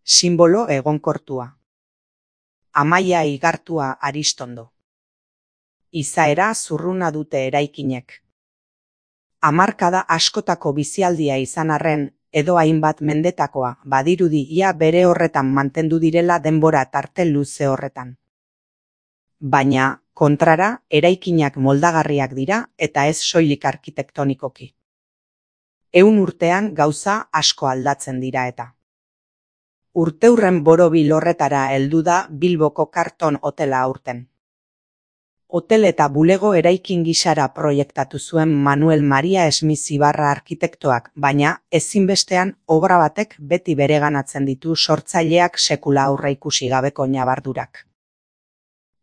Sinbolo egonkortua. Amaia igartua Aristondo. Izaera zurruna dute eraikinek. Hamarkada askotako bizialdia izan arren, edo hainbat mendetakoa, badirudi ia bere horretan mantendu direla denbora tarte luze horretan. Baina, kontrara, eraikinak moldagarriak dira eta ez soilik arkitektonikoki. 100 urtean gauza asko aldatzen dira eta. Urteurren borobil horretara heldu da Bilboko Karton hotela aurten. Hotel eta bulego eraikin gisara proiektatu zuen Manuel Maria Smith Ibarra arkitektoak, baina ezinbestean obra batek beti bereganatzen ditu sortzaileak sekula aurreikusi gabeko ñabardurak.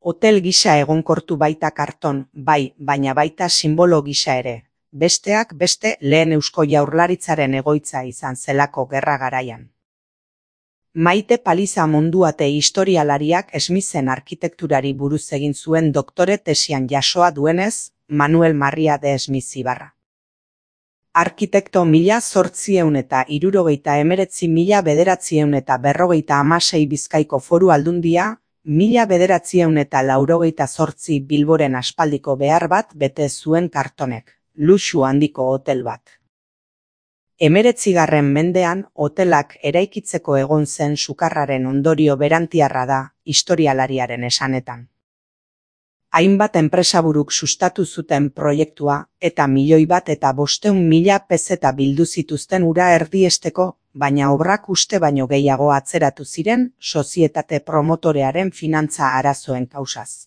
Hotel gisa egonkortu baita Karton, bai, baina baita sinbolo gisa ere. Besteak beste lehen Eusko Jaurlaritzaren egoitza izan zelako gerra garaian. Maite Paliza Munduate historialariak Smithen arkitekturari buruz egin zuen doktore tesian jasoa duenez, Manuel Maria de Smith Ibarra. Arkitekto 1819–1956 Bizkaiko Foru Aldundia, 1988 Bilboren aspaldiko behar bat bete zuen Kartonek, luxu handiko hotel bat. 19. mendean hotelak eraikitzeko egon zen sukarraren ondorio berantiarra da, historialariaren esanetan. Hainbat enpresaburuk sustatu zuten proiektua eta 1.500.000 peseta bildu zituzten ura erdiesteko, baina obrak uste baino gehiago atzeratu ziren sozietate promotorearen finantza arazoen kausaz.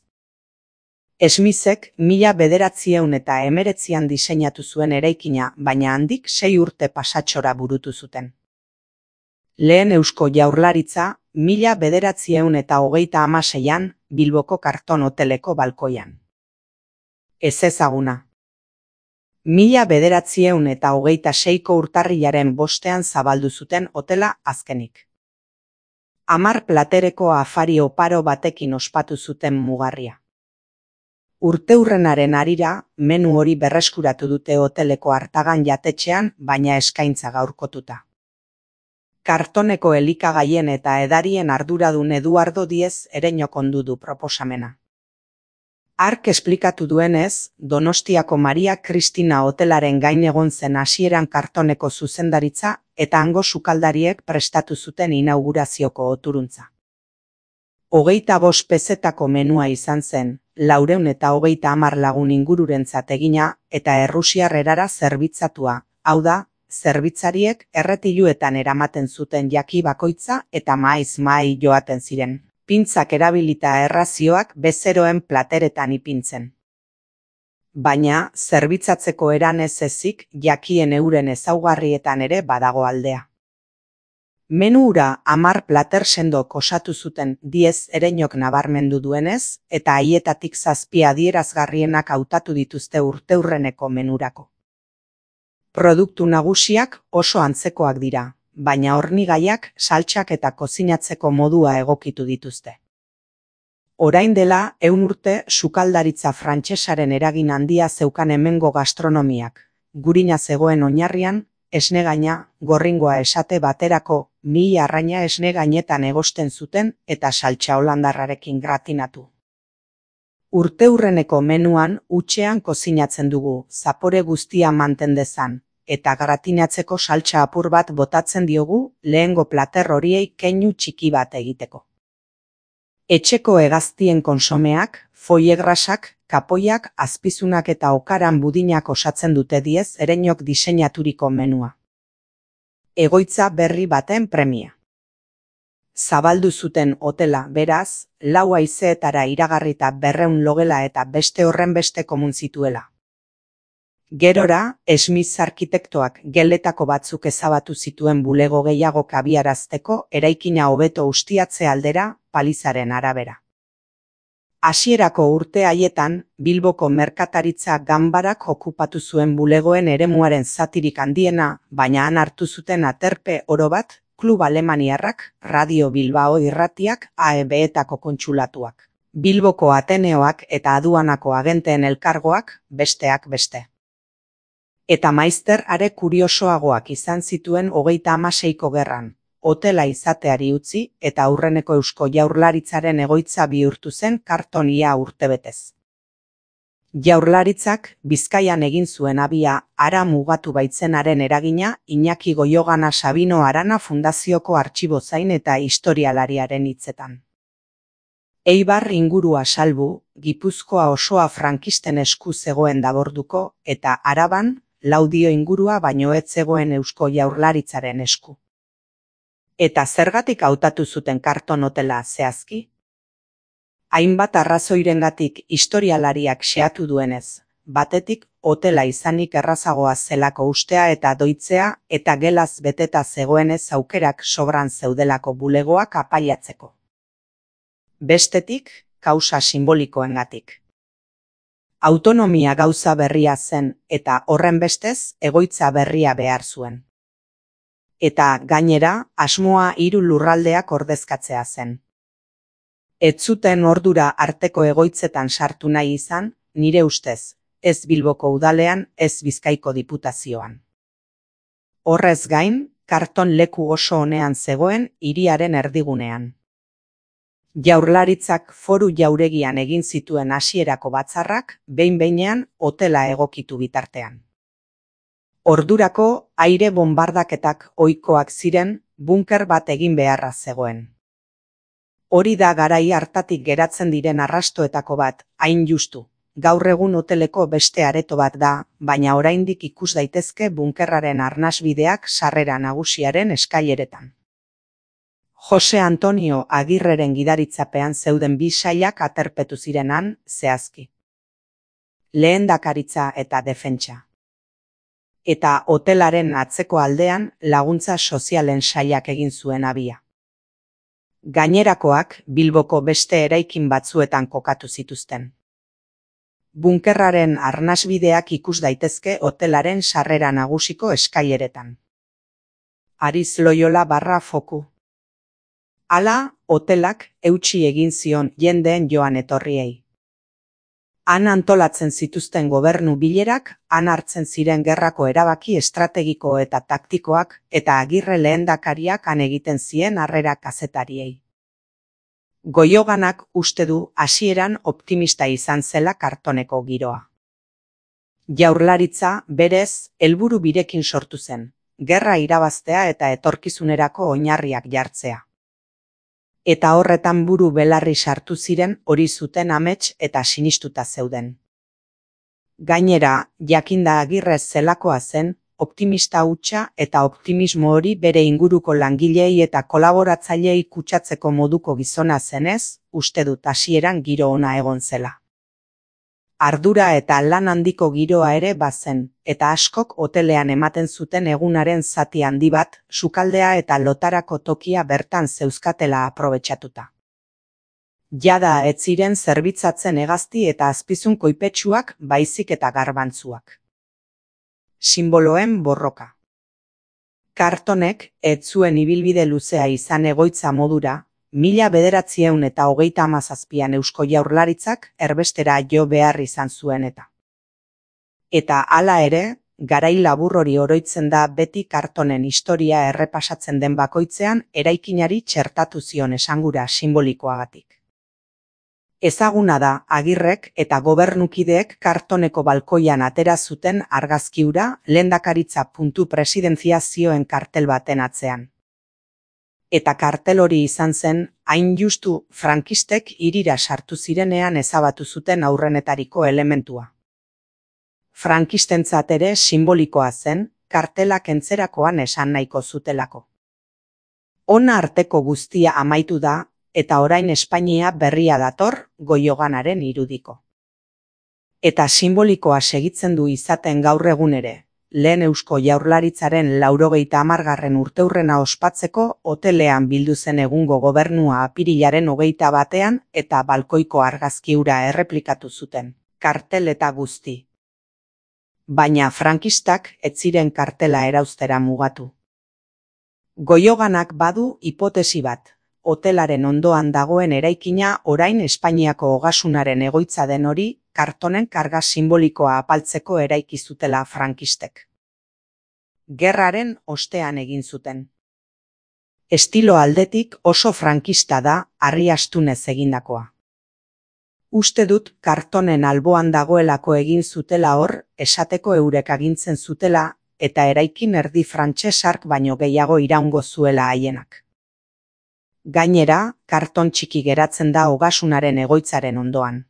Smithek 1919an diseinatu zuen eraikina, baina handik 6 urte pasatxora burutu zuten. Lehen Eusko Jaurlaritza 1936an Bilboko Karton hoteleko balkoian. Ez ezaguna. 1926ko urtarrilaren 5ean zabaldu zuten hotela azkenik. 10 platereko afari oparo batekin ospatu zuten mugarria. Urteurrenaren harira, menu hori berreskuratu dute hoteleko Artagan jatetxean, baina eskaintza gaurkotuta. Kartoneko elikagaien eta edarien arduradun Eduardo Diez Ereñok ondu du proposamena. Hark esplikatu duenez, Donostiako Maria Kristina hotelaren gain egon zen hasieran Kartoneko zuzendaritza eta hango sukaldariek prestatu zuten inaugurazioko oturuntza. 25 pezetako menua izan zen, 430 lagun ingururentzat egina eta errusiar erara zerbitzatua, hau da, zerbitzariek erretiluetan eramaten zuten jaki bakoitza eta maiz mahai joaten ziren, pintzak erabilita errazioak bezeroen plateretan ipintzen. Baina, zerbitzatzeko eran ez ezik jakien euren ezaugarrietan ere badago aldea. Menu hura 10 plater sendok osatu zuten Diez Ereñok nabarmendu duenez, eta haietatik 7 adierazgarrienak hautatu dituzte urteurreneko menurako. Produktu nagusiak oso antzekoak dira, baina hornigaiak, saltsak eta kozinatzeko modua egokitu dituzte. Orain dela 100 urte sukaldaritza frantsesaren eragin handia zeukan hemengo gastronomiak, gurina zegoen oinarrian, esnegaina, gorringoa esate baterako, 1000 arraina esne gainetan egosten zuten eta saltsa holandarrarekin gratinatu. Urteurreneko menuan hutsean kozinatzen dugu, zapore guztia manten dezan, eta gratinatzeko saltsa apur bat botatzen diogu lehengo plater horiei keinu txiki bat egiteko. Etxeko hegaztien konsomeak, foiegrasak, kapoiak, azpizunak eta okaran budinak osatzen dute Diez Ereñok diseinaturiko menua. Egoitza berri baten premia. Zabaldu zuten hotela, beraz, 4 haizeetara iragarrita 200 logela eta beste horrenbeste komun zituela. Gerora, Smith arkitektoak geletako batzuk ezabatu zituen bulego gehiago kabiarazteko eraikina hobeto ustiatze aldera, Palizaren arabera. Hasierako urte haietan, Bilboko merkataritza ganbarak okupatu zuen bulegoen eremuaren zatirik handiena, baina han hartu zuten aterpe oro bat, Klub Alemaniarrak, Radio Bilbao irratiak, AEB-etako kontsulatuak, Bilboko Ateneoak eta aduanako agenteen elkargoak, besteak beste. Eta maizter are kuriosoagoak izan zituen 36ko gerran, hotela izateari utzi eta aurreneko Eusko Jaurlaritzaren egoitza bihurtu zen Karton ia urtebetez. Jaurlaritzak Bizkaian egin zuen abia hara mugatu baitzenaren eragina Iñaki Goiogana Sabino Arana Fundazioko artxibozain eta historialariaren hitzetan. Eibar ingurua salbu, Gipuzkoa osoa frankisten esku zegoen daborduko eta Araban Laudio ingurua baino ez zegoen Eusko Jaurlaritzaren esku. Eta zergatik hautatu zuten Karton hotela zehazki? Hainbat arrazoirengatik historialariak xehatu duenez, batetik hotela izanik errazagoa zelako ustea eta doitzea eta gelaz beteta zegoenez aukerak sobran zeudelako bulegoak apailatzeko. Bestetik, kausa simbolikoengatik. Autonomia gauza berria zen eta horrenbestez egoitza berria behar zuen. Eta gainera, asmoa 3 lurraldeak ordezkatzea zen. Ez zuten ordura arteko egoitzetan sartu nahi izan, nire ustez, ez Bilboko udalean, ez Bizkaiko diputazioan. Horrez gain, Karton leku oso onean zegoen hiriaren erdigunean. Jaurlaritzak Foru Jauregian egin zituen hasierako batzarrak behin-behinean hotela egokitu bitartean. Ordurako aire bonbardaketak ohikoak ziren, bunker bat egin beharra zegoen. Hori da garai hartatik geratzen diren arrastoetako bat, hain justu. Gaur egun hoteleko beste areto bat da, baina oraindik ikus daitezke bunkerraren arnasbideak sarrera nagusiaren eskaileretan. Jose Antonio Agirreren gidaritzapean zeuden 2 sailak aterpetu zirenan zehazki. Lehendakaritza eta defentsa. Eta hotelaren atzeko aldean laguntza sozialen sailak egin zuen abia. Gainerakoak Bilboko beste eraikin batzuetan kokatu zituzten. Bunkerraren arnasbideak ikus daitezke hotelaren sarrera nagusiko eskaileretan. Ariz Loyola /Foku. Hala, hotelak eutsi egin zion jendeen joan etorriei. Han antolatzen zituzten gobernu bilerak, han hartzen ziren gerrako erabaki estrategiko eta taktikoak, eta Agirre lehendakariak han egiten zien harrera kazetariei. Goioganak uste du hasieran optimista izan zela Kartoneko giroa. Jaurlaritza, berez, helburu birekin sortu zen, gerra irabaztea eta etorkizunerako oinarriak jartzea. Eta horretan buru belarri sartu ziren hori zuten amets eta sinistuta zeuden. Gainera, jakinda Agirre zelakoa zen, optimista hutsa eta optimismo hori bere inguruko langilei eta kolaboratzaileei kutsatzeko moduko gizona zenez, uste dut hasieran giro ona egon zela. Ardura eta lan handiko giroa ere bazen, eta askok hotelean ematen zuten egunaren zati handi bat, sukaldea eta lotarako tokia bertan zeuzkatela aprobetxatuta. Jada ez ziren zerbitzatzen hegazti eta azpizun koipetsuak baizik eta garbantzuak. Simboloen borroka. Kartonek ez zuen ibilbide luzea izan egoitza modura, 1937an Eusko Jaurlaritzak erbestera jo behar izan zuen eta. Eta hala ere, garai labur hori oroitzen da beti Kartonen historia errepasatzen den bakoitzean eraikinari txertatu zion esangura simbolikoagatik. Ezaguna da Agirrek eta gobernukideek Kartoneko balkoian atera zuten argazki hura lehendakaritza.presidentzia zioen kartel baten atzean. Eta kartel hori izan zen, hain justu frankistek hirira sartu zirenean ezabatu zuten aurrenetariko elementua. Frankistentzat ere simbolikoa zen, kartelak entzerakoan esan nahiko zutelako. Hona arteko guztia amaitu da, eta orain Espainia berria dator Goioganaren irudiko. Eta simbolikoa segitzen du izaten gaur egun ere, lehen Eusko Jaurlaritzaren 90. urteurrena ospatzeko hotelean bildu zen egungo gobernua apirilaren 21 eta balkoiko argazki hura erreplikatu zuten, kartel eta guzti. Baina frankistak ez ziren kartela erauztera mugatu. Goioganak badu hipotesi bat. Hotelaren ondoan dagoen eraikina orain Espainiako ogasunaren egoitza den hori, Kartonen karga simbolikoa apaltzeko eraiki zutela frankistek. Gerraren ostean egin zuten. Estilo aldetik oso frankista da harri astunez egindakoa. Uste dut kartonen alboan dagoelako egin zutela hor, esateko eurek agintzen zutela, eta eraikin erdi frantsesark baino gehiago iraungo zuela haienak. Gainera, karton txiki geratzen da Ogasunaren egoitzaren ondoan.